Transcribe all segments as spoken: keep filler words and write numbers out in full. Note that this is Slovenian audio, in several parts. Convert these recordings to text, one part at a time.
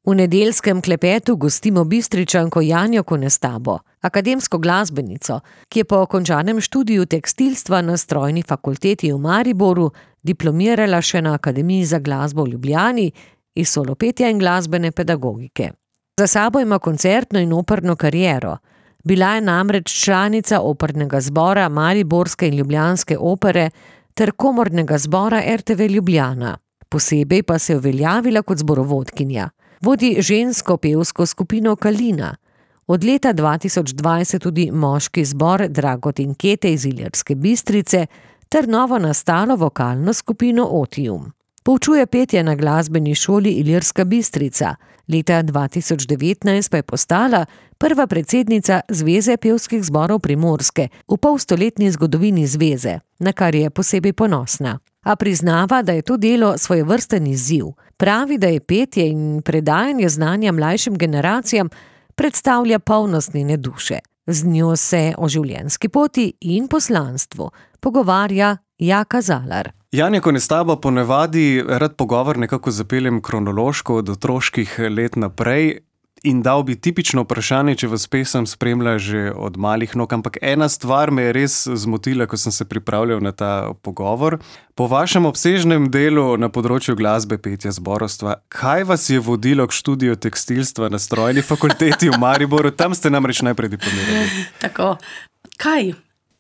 V nedeljskem klepetu gostimo Bistričanko Janjo Konestabo, akademsko glasbenico, ki je po končanem študiju tekstilstva na Strojni fakulteti v Mariboru diplomirala še na Akademiji za glasbo v Ljubljani iz solopetja in glasbene pedagogike. Za sabo ima koncertno in operno kariero. Bila je namreč članica opernega zbora Mariborske in Ljubljanske opere ter komornega zbora er te ve Ljubljana. Posebej pa se je uveljavila kot zborovodkinja. Vodi žensko pevsko skupino Kalina. Od leta dva tisoč dvajset tudi moški zbor Dragotinkete iz Ilirske Bistrice ter novo nastalo vokalno skupino Otium. Poučuje petje na glasbeni šoli Ilirska Bistrica. Leta dva tisoč devetnajst pa je postala prva predsednica Zveze pevskih zborov Primorske v polstoletni zgodovini zveze, na kar je posebej ponosna. A priznava, da je to delo svojevrsten izziv. Pravi, da je petje in predajanje znanja mlajšim generacijam predstavlja polnost njene duše. Z njo se o življenjski poti in poslanstvu pogovarja Jaka Zalar. Janja Konestabo, ponavadi rad pogovor nekako zapeljem kronološko od otroških let naprej in dal bi tipično vprašanje, če vas pesem spremlja že od malih nog, ampak ena stvar me je res zmotila, ko sem se pripravljal na ta pogovor. Po vašem obsežnem delu na področju glasbe, petja, zborovstva, kaj vas je vodilo k študiju tekstilstva na Strojni fakulteti v Mariboru? Tam ste namreč najprej diplomirali. Tako, kaj?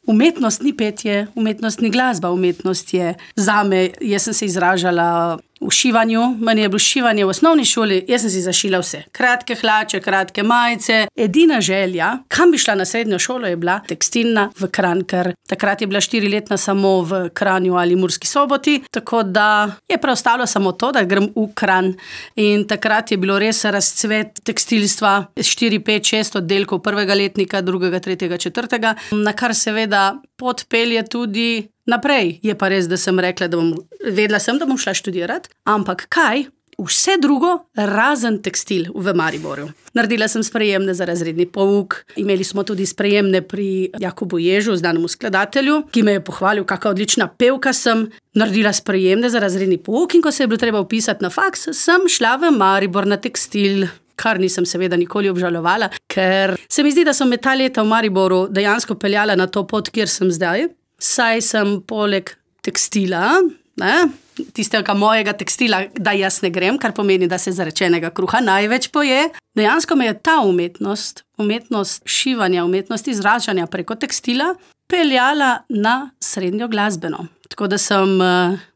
Umetnost ni petje, umetnost ni glasba, umetnost je zame, jaz sem se izražala v šivanju, meni je bilo šivanje v osnovni šoli, jaz sem si zašila vse. Kratke hlače, kratke majice. Edina želja, kam bi šla na srednjo šolo, je bila tekstilna v Kranj, ker takrat je bila štiriletna samo v Kranju ali Murski Soboti, tako da je preostalo samo to, da grem v Kranj. In takrat je bilo res razcvet tekstilstva, štiri, pet, šest oddelkov prvega letnika, drugega, tretjega, četrtega, na kar seveda pot pelje tudi naprej. Je pa res, da sem rekla, da bom, vedela sem, da bom šla študirati, ampak kaj? Vse drugo razen tekstil v Mariboru. Naredila sem sprejemne za razredni pouk, imeli smo tudi sprejemne pri Jakobu Ježu, znanemu skladatelju, ki me je pohvalil, kakšna odlična pevka sem. Naredila sprejemne za razredni pouk in ko se je bilo treba vpisati na faks, sem šla v Maribor na tekstil, kar nisem seveda nikoli obžalovala, ker se mi zdi, da so me ta leta v Mariboru dejansko peljala na to pot, kjer sem zdaj. Saj sem poleg tekstila, ne, tistega mojega tekstila, da jaz ne grem, kar pomeni, da se zarečenega kruha največ poje. Dejansko me je ta umetnost, umetnost šivanja, umetnost izražanja preko tekstila peljala na srednjo glasbeno. Tako da sem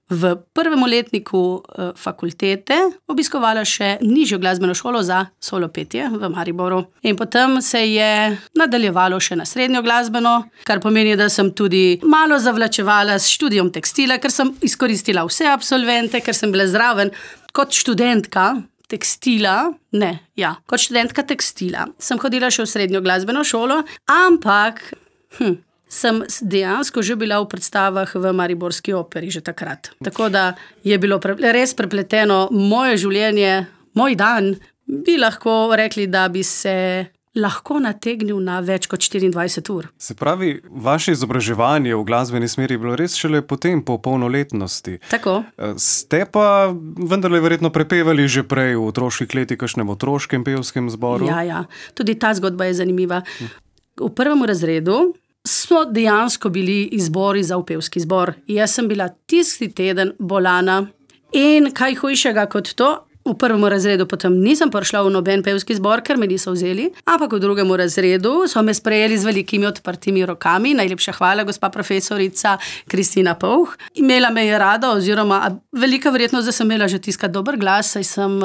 v prvem letniku fakultete obiskovala še nižjo glasbeno šolo za solopetje v Mariboru. In potem se je nadaljevalo še na srednjo glasbeno, kar pomeni, da sem tudi malo zavlačevala s študijom tekstila, ker sem izkoristila vse absolvente, ker sem bila zraven kot študentka tekstila, ne, ja, kot študentka tekstila. Sem hodila še v srednjo glasbeno šolo, ampak hm, sem dejansko že bila v predstavah v Mariborski operi že takrat. Tako da je bilo pre, res prepleteno moje življenje, moj dan, bi lahko rekli, da bi se lahko nategnil na več kot štiriindvajset ur. Se pravi, vaše izobraževanje v glasbeni smeri je bilo res šele potem, po polnoletnosti. Tako. Ste pa vendarle verjetno prepevali že prej v otroških letih, kakšnem otroškem pevskem zboru? Ja, ja. Tudi ta zgodba je zanimiva. V prvem razredu smo dejansko bili izbori za upevski zbor. Jaz sem bila tisti teden bolana in kaj hujšega kot to, v prvem razredu potem nisem prišla v noben pevski zbor, ker me niso vzeli, ampak v drugem razredu so me sprejeli z velikimi odprtimi rokami. Najlepša hvala, gospa profesorica Kristina Pouh. Imela me je rada, oziroma velika verjetnost, da sem imela že tiskati dober glas, saj sem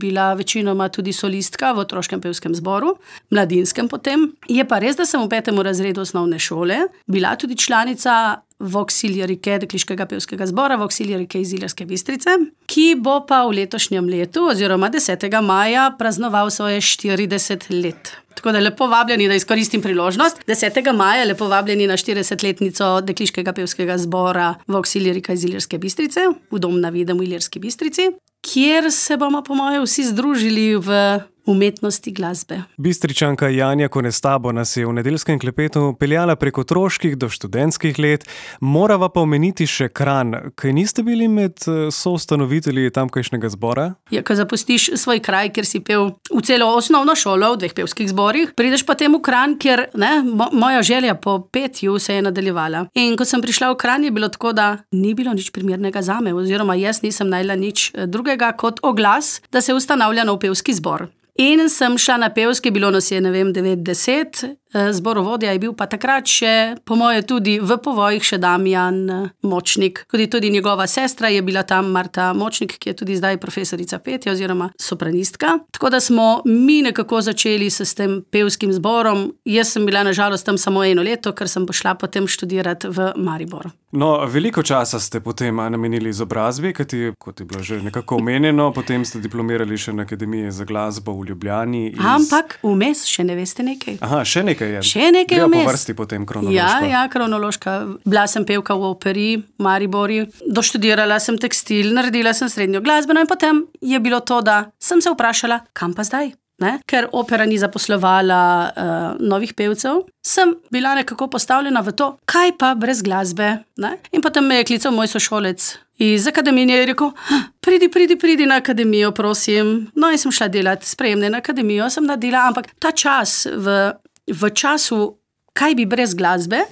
bila večinoma tudi solistka v otroškem pevskem zboru, mladinskem potem. Je pa res, da sem v petem razredu osnovne šole bila tudi članica Voxilierike dekliškega pevskega zbora, Voxilierike iz Ilirske Bistrice, ki bo pa v letošnjem letu, oziroma desetega maja, praznoval svoje štirideset let. Tako da lepo vabljeni, da izkoristim priložnost. desetega maja lepo vabljeni na štiridesetletnico dekliškega pevskega zbora Voxilierika iz Ilirske Bistrice, v Dom na Videm v Ilirski Bistrici, kjer se bomo po moje vsi združili v umetnosti glasbe. Bistričanka Janja Konestabo nas je v nedeljskem klepetu peljala prek otroških do študentskih let. Morava pa omeniti še Kranj. Kaj niste bili med soustanovitelji tamkajšnjega zbora? Ja, ko zapustiš svoj kraj, kjer si pel v celo osnovno šolo, v dveh pevskih zborih, prideš potem v Kranj, kjer ne, mo- moja želja po petju se je nadaljevala. In ko sem prišla v Kranj, je bilo tako, da ni bilo nič primernega zame, oziroma jaz nisem najla nič drugega kot oglas, da se ustanavlja nov pevski zbor. In sem šla na pevski, bilo nas je, ne vem, devet deset, zborovodja je bil pa takrat še, po moje tudi v povojih še Damjan Močnik. Tudi, tudi njegova sestra je bila tam, Marta Močnik, ki je tudi zdaj profesorica petja oziroma sopranistka. Tako da smo mi nekako začeli se s tem pevskim zborom. Jaz sem bila na žalost tam samo eno leto, ker sem pošla potem študirati v Maribor. No, veliko časa ste potem namenili izobrazbi, kajti, kot je bilo že nekako omenjeno, potem ste diplomirali še na Akademiji za glasbo v Ljubljani. Iz... Ampak vmes še ne veste nekaj. Aha, še nekaj je. Še nekaj Greva vmes. po vrsti potem kronološko. Ja, ja, kronološka. Bila sem pevka v operi v Maribori, doštudirala sem tekstil, naredila sem srednjo glasbeno in potem je bilo to, da sem se vprašala, kam pa zdaj? Ne? Ker opera ni zaposlovala uh, novih pevcev, sem bila nekako postavljena v to, kaj pa brez glasbe. Ne? In potem me je klical moj sošolec iz akademije in je rekel, pridi, pridi, pridi na akademijo, prosim. No in sem šla delati sprejemne na akademijo, sem naredila, ampak ta čas, v, v času, kaj bi brez glasbe,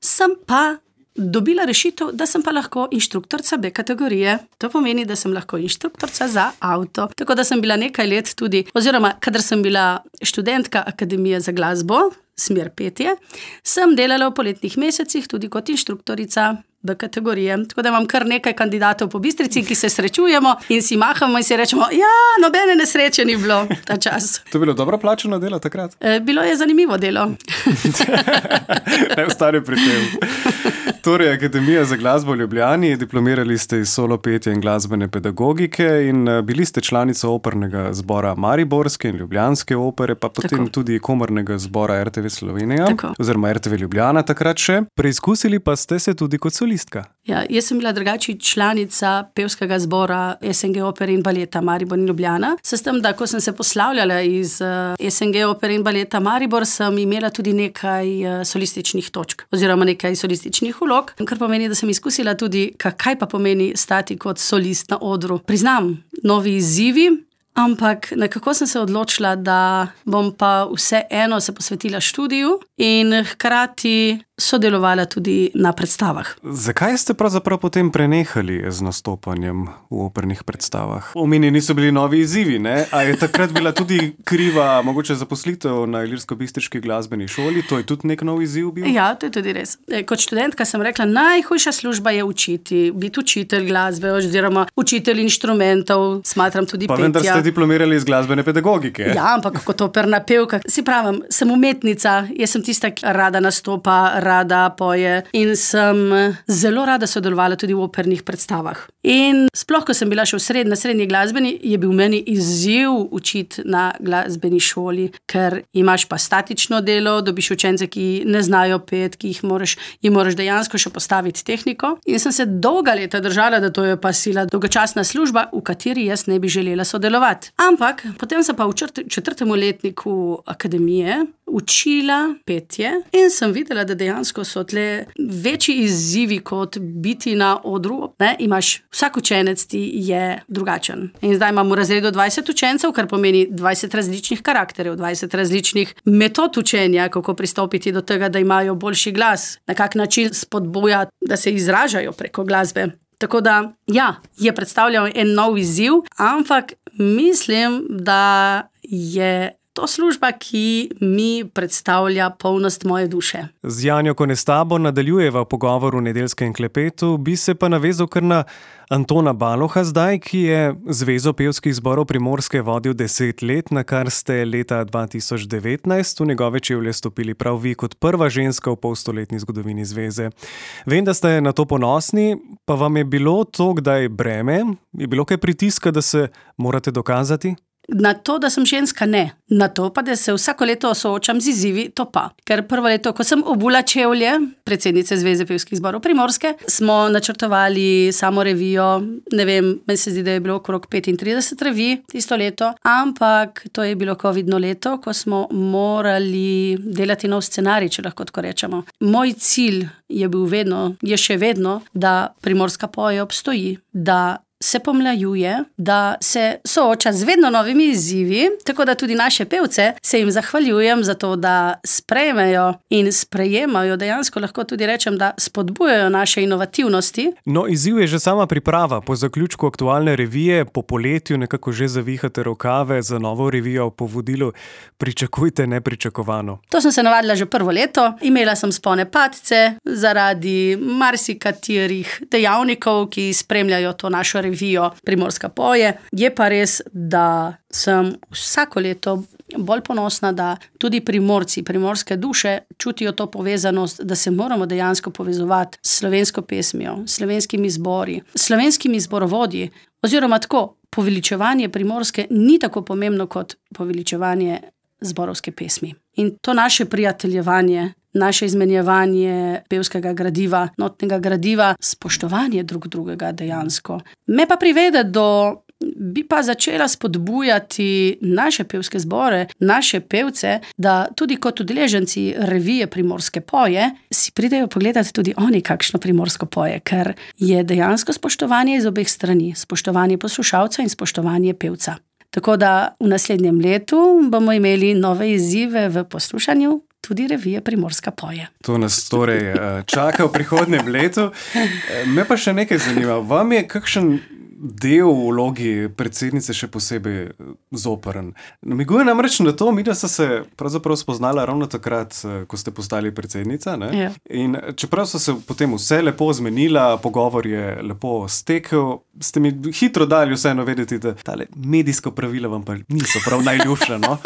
sem pa dobila rešitev, da sem pa lahko inštruktorca B kategorije. To pomeni, da sem lahko inštruktorca za avto. Tako da sem bila nekaj let tudi, oziroma kadar sem bila študentka Akademije za glasbo, smer petje, sem delala v poletnih mesecih tudi kot inštruktorica B kategorije. Tako da imam kar nekaj kandidatov po Bistrici, ki se srečujemo in si mahamo in si rečemo, ja, nobene nesreče ni bilo ta čas. To je bilo dobro plačano delo takrat? E, bilo je zanimivo delo. Ne ostane pri tem. Torej, Akademija za glasbo v Ljubljani, diplomirali ste iz solo petja in glasbene pedagogike in bili ste članica opernega zbora Mariborske in Ljubljanske opere, pa potem Tako. tudi komornega zbora R T V Slovenija, Tako. oziroma R T V Ljubljana takrat še. Preizkusili pa ste se tudi kot solistka. Ja, jaz sem bila drugače članica pevskega zbora S N G opere in baleta Maribor in Ljubljana. S tem, da ko sem se poslavljala iz S N G opere in baleta Maribor, sem imela tudi nekaj solističnih točk, oziroma nekaj solističnih vlog, kar pomeni, da sem izkusila tudi, kaj pa pomeni stati kot solist na odru. Priznam, novi izzivi, ampak nekako sem se odločila, da bom pa vseeno se posvetila študiju in hkrati sodelovala tudi na predstavah. Zakaj ste pravzaprav potem prenehali z nastopanjem v opernih predstavah? Omenjeni so bili novi izzivi, ne? A je takrat bila tudi kriva mogoče zaposlitev na Ilirsko-Bistriški glasbeni šoli? To je tudi nek nov izziv bil? Ja, to je tudi res. Kot študentka sem rekla, najhujša služba je učiti, biti učitelj glasbe oziroma učitelj inštrumentov, smatram tudi pa petja. Pa vendar ste diplomirali iz glasbene pedagogike. Ja, ampak kot operna pevka, si pravim, sem umetnica, jaz sem tista, ki rada nastopa, rada poje in sem zelo rada sodelovala tudi v opernih predstavah. In sploh, ko sem bila še v sred, na srednji glasbeni, je bil meni izziv učiti na glasbeni šoli, ker imaš pa statično delo, dobiš učence, ki ne znajo pet, ki jih moraš, jim moraš dejansko še postaviti tehniko. In sem se dolga leta držala, da to je pa sila dolgočasna služba, v kateri jaz ne bi želela sodelovati. Ampak potem sem pa v četrtem letniku akademije učila petje in sem videla, da dejansko so tle večji izzivi kot biti na odru. Ne? Imaš, vsak učenec ti je drugačen. In zdaj imam v razredu dvajset učencev, kar pomeni dvajset različnih karakterjev, dvajset različnih metod učenja, kako pristopiti do tega, da imajo boljši glas, na kak način spodbuja, da se izražajo preko glasbe. Tako da, ja, je predstavljal en nov izziv, ampak mislim, da je to služba, ki mi predstavlja polnost moje duše. Z Janjo Konestabo nadaljujeva pogovor v nedeljskem klepetu, bi se pa navezal kar na Antona Baloha zdaj, ki je Zvezo pevskih zborov Primorske vodil deset let, na kar ste leta dva tisoč devetnajst v njegove čevlje stopili prav vi kot prva ženska v polstoletni zgodovini zveze. Vem, da ste na to ponosni, pa vam je bilo to kdaj breme? Je bilo kaj pritiska, da se morate dokazati? Na to, da sem ženska, ne. Na to pa, da se vsako leto soočam z izzivi, to pa. Ker prvo leto, ko sem obula čevlje, predsednice Zveze pevskih zborov Primorske, smo načrtovali samo revijo, ne vem, meni se zdi, da je bilo okrog petintrideset revij tisto leto, ampak to je bilo covidno leto, ko smo morali delati nov scenarij, če lahko tako rečemo. Moj cilj je bil vedno, je še vedno, da Primorska poje obstoji, da se pomlajuje, da se sooča z vedno novimi izzivi, tako da tudi naše pevce se jim zahvaljujem za to, da sprejmejo in sprejemajo, dejansko lahko tudi rečem, da spodbujajo naše inovativnosti. No, izziv je že sama priprava. Po zaključku aktualne revije, po poletju nekako že zavihate rokave za novo revijo po vodilu. Pričakujte nepričakovano. To sem se navadila že prvo leto. Imela sem spone padce zaradi marsikaterih dejavnikov, ki spremljajo to našo revijo Primorska poje. Je pa res, da sem vsako leto bolj ponosna, da tudi Primorci, primorske duše čutijo to povezanost, da se moramo dejansko povezovati s slovensko pesmijo, slovenskimi zbori, slovenskimi zborovodji, oziroma tako, poveličevanje Primorske ni tako pomembno kot poveličevanje zborovske pesmi. In to naše prijateljevanje, naše izmenjevanje pevskega gradiva, notnega gradiva, spoštovanje drug drugega dejansko. Me pa privede do, bi pa začela spodbujati naše pevske zbore, naše pevce, da tudi kot udeleženci revije Primorske poje si pridejo pogledati tudi oni kakšno primorsko poje, ker je dejansko spoštovanje iz obeh strani, spoštovanje poslušalca in spoštovanje pevca. Tako da v naslednjem letu bomo imeli nove izzive v poslušanju tudi revije Primorska poje. To nas torej čaka v prihodnjem letu. Me pa še nekaj zanima. Vam je kakšen del v vlogi predsednice še posebej zoprn? Namiguje namreč na to, mi da sta se pravzaprav spoznala ravno takrat, ko ste postali predsednica, ne? Ja. In čeprav so se potem vse lepo zmenila, pogovor je lepo stekel, ste mi hitro dali vseeno vedeti, da tale medijsko pravila vam pa niso prav najljubša, no?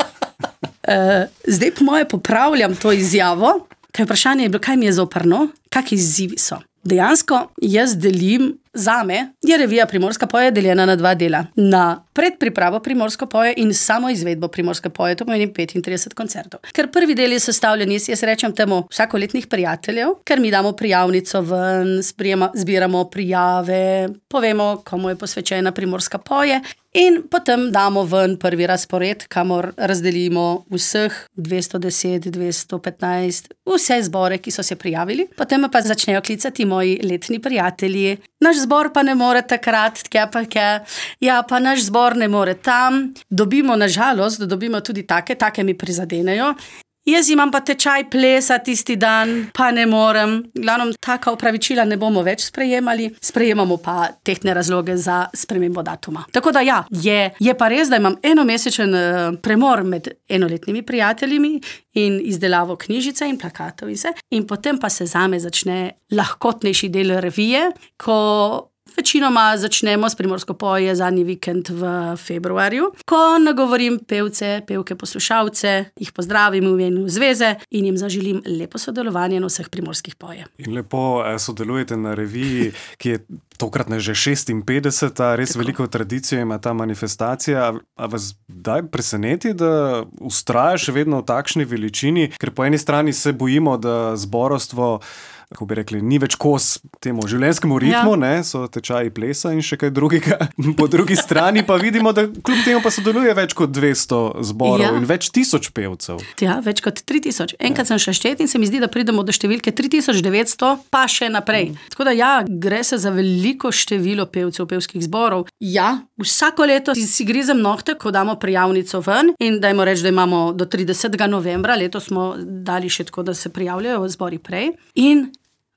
Uh, zdaj po moje popravljam to izjavo, kaj vprašanje je bilo, kaj mi je zoprno, kakšni izzivi so. Dejansko jaz delim, zame je revija Primorska poje deljena na dva dela. Na predpripravo Primorske poje in samo izvedbo Primorske poje, to pomeni petintrideset koncertov. Ker prvi del je sestavljen iz, jaz rečem temu, vsakoletnih prijateljev, ker mi damo prijavnico ven, sprijema, zbiramo prijave, povemo, komu je posvečena Primorska poje in potem damo ven prvi razpored, kamor razdelimo vseh dvesto deset, dvesto petnajst, vse zbore, ki so se prijavili. Potem pa začnejo klicati moji letni prijatelji. Naš zbor pa ne more takrat, tja pa tja, ja pa naš zbor ne more tam. Dobimo, nažalost, dobimo tudi take, take mi prizadenejo. Jaz imam pa tečaj plesa tisti dan, pa ne morem. Glavno, taka opravičila ne bomo več sprejemali, sprejemamo pa tehtne razloge za spremembo datuma. Tako da ja, je, je pa res, da imam enomesečen uh, premor med enoletnimi prijateljimi in izdelavo knjižice in plakatov in vse. In potem pa se zame začne lahkotnejši del revije, ko večinoma začnemo s Primorsko poje zadnji vikend v februarju, ko nagovorim pevce, pevke, poslušalce, jih pozdravim v imenu zveze in jim zaželim lepo sodelovanje na vseh primorskih poje. In lepo sodelujete na reviji, ki je tokratna že šestinpetdeseta, res Tako. Veliko tradicijo ima ta manifestacija. A vas daj preseneti, da vztraja še vedno v takšni veličini, ker po eni strani se bojimo, da zborovstvo, kako bi rekli, ni več kos temu življenjskemu ritmu, ja. Ne, so tečaji plesa in še kaj drugega. Po drugi strani pa vidimo, da kljub temu pa sodeluje več kot dvesto zborov ja. In več tisoč pevcev. Ja, več kot tri tisoč. Enkrat ja. Sem še štet in se mi zdi, da pridemo do številke tri tisoč devetsto, pa še naprej. Mm. Tako da ja, gre se za veliko število pevcev, pevskih zborov. Ja, vsako leto si, si grizem nohte, ko damo prijavnico ven in dajmo reči, da imamo do tridesetega novembra, letos smo dali še tako, da se prijavljajo zbori prej. In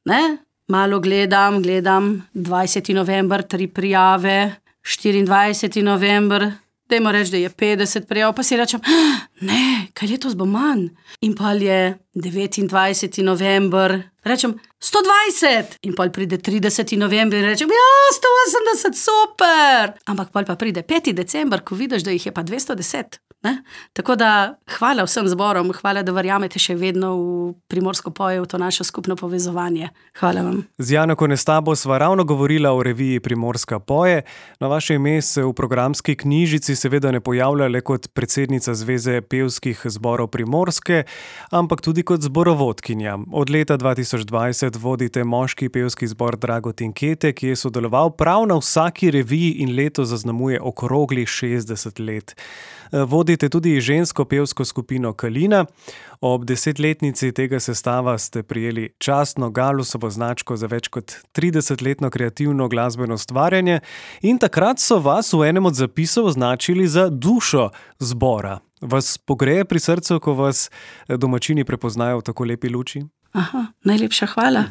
ne, malo gledam, gledam, dvajseti november, tri prijave, štiriindvajseti november, dajmo reči, da je petdeset prijav, pa si rečem, ne, kaj letos bo manj. In pa je devetindvajseti november, rečem, sto dvajset, in pa pride trideseti november in rečem, ja, sto osemdeset, super. Ampak pa pride peti december, ko vidiš, da jih je pa dvesto deset. Ne? Tako da hvala vsem zborom, hvala, da verjamete še vedno v Primorsko poje, v to našo skupno povezovanje. Hvala vam. Z Jano Konestabo sva ravno govorila o reviji Primorska poje. Na vaše ime se v programski knjižici seveda ne pojavlja le kot predsednica Zveze pevskih zborov Primorske, ampak tudi kot zborovodkinja. Od leta dva tisoč dvajset vodite moški pevski zbor Dragotin Kete, ki je sodeloval prav na vsaki reviji in leto zaznamuje okroglih šestdeset let. Vodite tudi žensko pevsko skupino Kalina. Ob desetletnici tega sestava ste prijeli častno Galusovo značko za več kot tridesetletno kreativno glasbeno ustvarjanje in takrat so vas v enem od zapisov označili za dušo zbora. Vas pogreje pri srcu, ko vas domačini prepoznajo v tako lepi luči? Aha, najlepša hvala.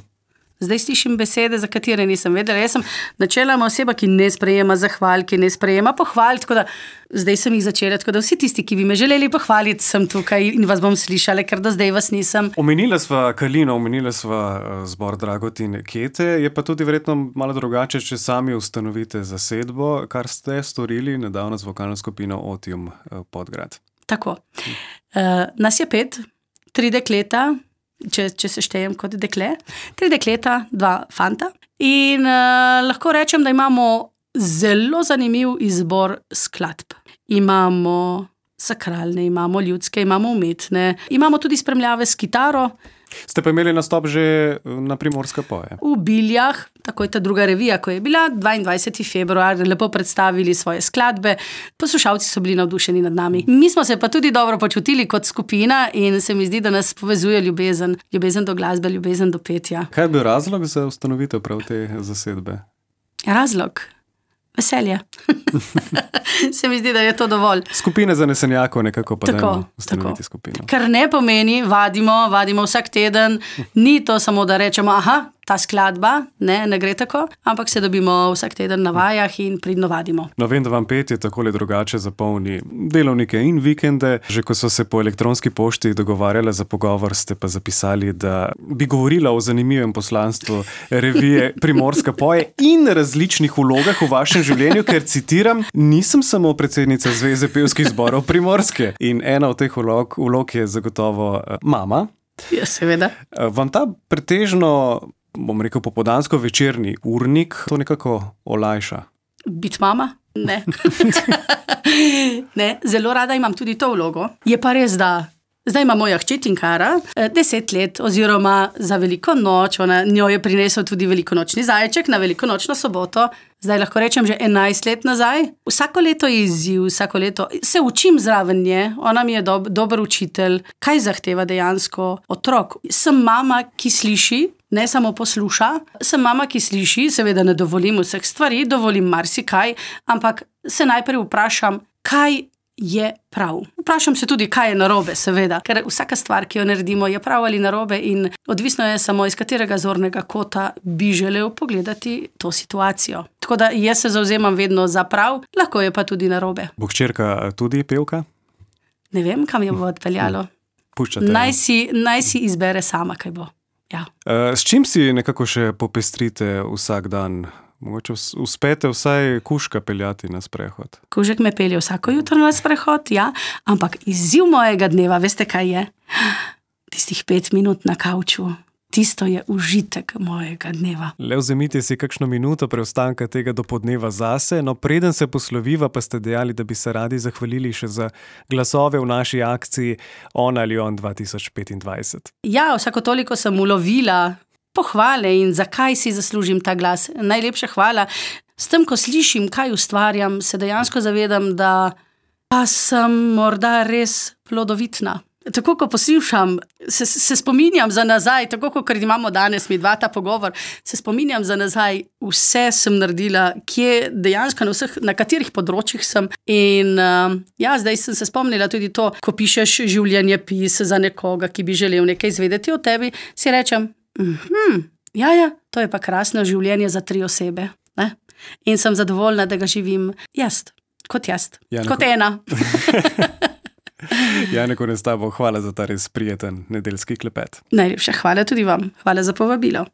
Zdaj slišim besede, za katere nisem vedela. Jaz sem načeloma oseba, ki ne sprejema zahval, ki ne sprejema pohval, tako da zdaj sem jih začela, tako da vsi tisti, ki bi me želeli pohvaliti, sem tukaj in vas bom slišala, ker do zdaj vas nisem. Omenila sva Kalino, omenila sva zbor Dragotin Kete, je pa tudi verjetno malo drugače, če sami ustanovite zasedbo, kar ste storili nedavno z vokalno skupino Otium Podgrad. Tako. Uh, nas je pet, tri dekleta, Če, če se štejem kot dekle, tri dekleta, dva fanta. In uh, lahko rečem, da imamo zelo zanimiv izbor skladb. Imamo sakralne, imamo ljudske, imamo umetne, imamo tudi spremljave s kitaro. Ste pa imeli nastop že na Primorska poje? V Biljah, tako je ta druga revija, ko je bila, dvaindvajseti februar, lepo predstavili svoje skladbe, poslušalci so bili navdušeni nad nami. Mi smo se pa tudi dobro počutili kot skupina in se mi zdi, da nas povezuje ljubezen, ljubezen do glasbe, ljubezen do petja. Kaj je bil razlog za ustanovitev prav te zasedbe? Razlog? Veselje. Se mi zdi, da je to dovolj. Skupine zanesenjakov nekako pa tako, dajmo ustanoviti tako. skupino. Kar ne pomeni, vadimo, vadimo vsak teden, ni to samo, da rečemo, aha, ta skladba, ne, ne gre tako, ampak se dobimo vsak teden na vajah in pridno vadimo. No, vem, da vam petje takole drugače zapolni delovnike in vikende. Že ko so se po elektronski pošti dogovarjali za pogovor, ste pa zapisali, da bi govorila o zanimivem poslanstvu revije Primorska poje in različnih vlogah v vašem življenju, ker citiram, nisem samo predsednica Zveze pevskih zborov Primorske. In ena od teh vlog, vlog je zagotovo mama. Ja, seveda. Vam ta pretežno, bom rekel, popoldansko večerni urnik to nekako olajša? Biti mama? Ne. Ne, zelo rada imam tudi to vlogo. Je pa res, da zdaj ima moja hči Tinkara deset let oziroma za veliko noč, ona, njo je prinesel tudi velikonočni zajček na velikonočno soboto. Zdaj lahko rečem že enajst let nazaj. Vsako leto je izziv, vsako leto se učim zraven nje, ona mi je dob, dober učitelj, kaj zahteva dejansko otrok. Sem mama, ki sliši, ne samo posluša, sem mama, ki sliši, seveda ne dovolim vseh stvari, dovolim marsikaj, ampak se najprej vprašam, kaj je prav. Vprašam se tudi, kaj je narobe, seveda, ker vsaka stvar, ki jo naredimo, je prav ali narobe in odvisno je samo, iz katerega zornega kota bi želel pogledati to situacijo. Tako da jaz se zavzemam vedno za prav, lahko je pa tudi narobe. Bo hčerka tudi pevka? Ne vem, kam jo bo odpeljalo. Puščate. Naj si, naj si izbere sama, kaj bo. Ja. S čim si nekako še popestrite vsak dan? Mogoče uspete vsaj kužka peljati na sprehod. Kužek me pelje vsako jutro na sprehod, ja, ampak izziv mojega dneva, veste kaj je? Tistih pet minut na kavču. Tisto je užitek mojega dneva. Le vzemite si kakšno minuto preostanka tega dopodneva zase, no preden se posloviva, pa ste dejali, da bi se radi zahvalili še za glasove v naši akciji On ali On dva tisoč petindvajset. Ja, vsako toliko sem ulovila pohvale in zakaj si zaslužim ta glas. Najlepša hvala. S tem, ko slišim, kaj ustvarjam, se dejansko zavedam, da pa sem morda res plodovitna. Tako, ko poslušam, se, se spominjam za nazaj, tako, kot imamo danes mi dva ta pogovor, se spominjam za nazaj, vse sem naredila, kje dejansko na vseh, na katerih področjih sem. In uh, ja, zdaj sem se spomnila tudi to, ko pišeš življenjepis za nekoga, ki bi želel nekaj izvedeti o tebi, si rečem, Mhm, ja, ja, to je pa krasno življenje za tri osebe. Ne? In sem zadovoljna, da ga živim jaz, kot jaz, Jane, kot ena. Jano Konestabo, hvala za ta res prijeten nedeljski klepet. Najlepša hvala tudi vam. Hvala za povabilo.